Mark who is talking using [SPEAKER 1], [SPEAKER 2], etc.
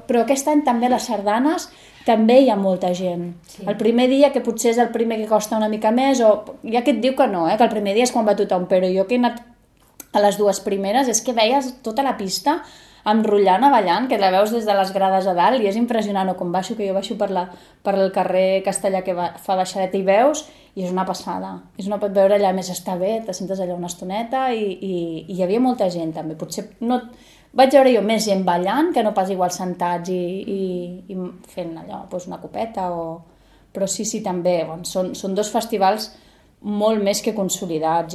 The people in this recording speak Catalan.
[SPEAKER 1] però aquest any també a les sardanes també hi ha molta gent. Sí. El primer dia, que potser és el primer que costa una mica més, o hi ha qui et diu que no, que el primer dia és quan va tothom, però jo que he anat a les dues primeres és que veies tota la pista enrotllant, ballant, que la veus des de les grades a dalt i és impressionant, o com baixo, que jo baixo per el carrer Castellà que fa baixadeta i veus, i és una passada. Pot veure allà, més està bé, te sentes allà una estoneta i hi havia molta gent també. Potser no... Vaig veure jo més gent ballant que no pas igual sentats i fent allò, doncs una copeta o... Però sí, també, són dos festivals molt més que consolidats.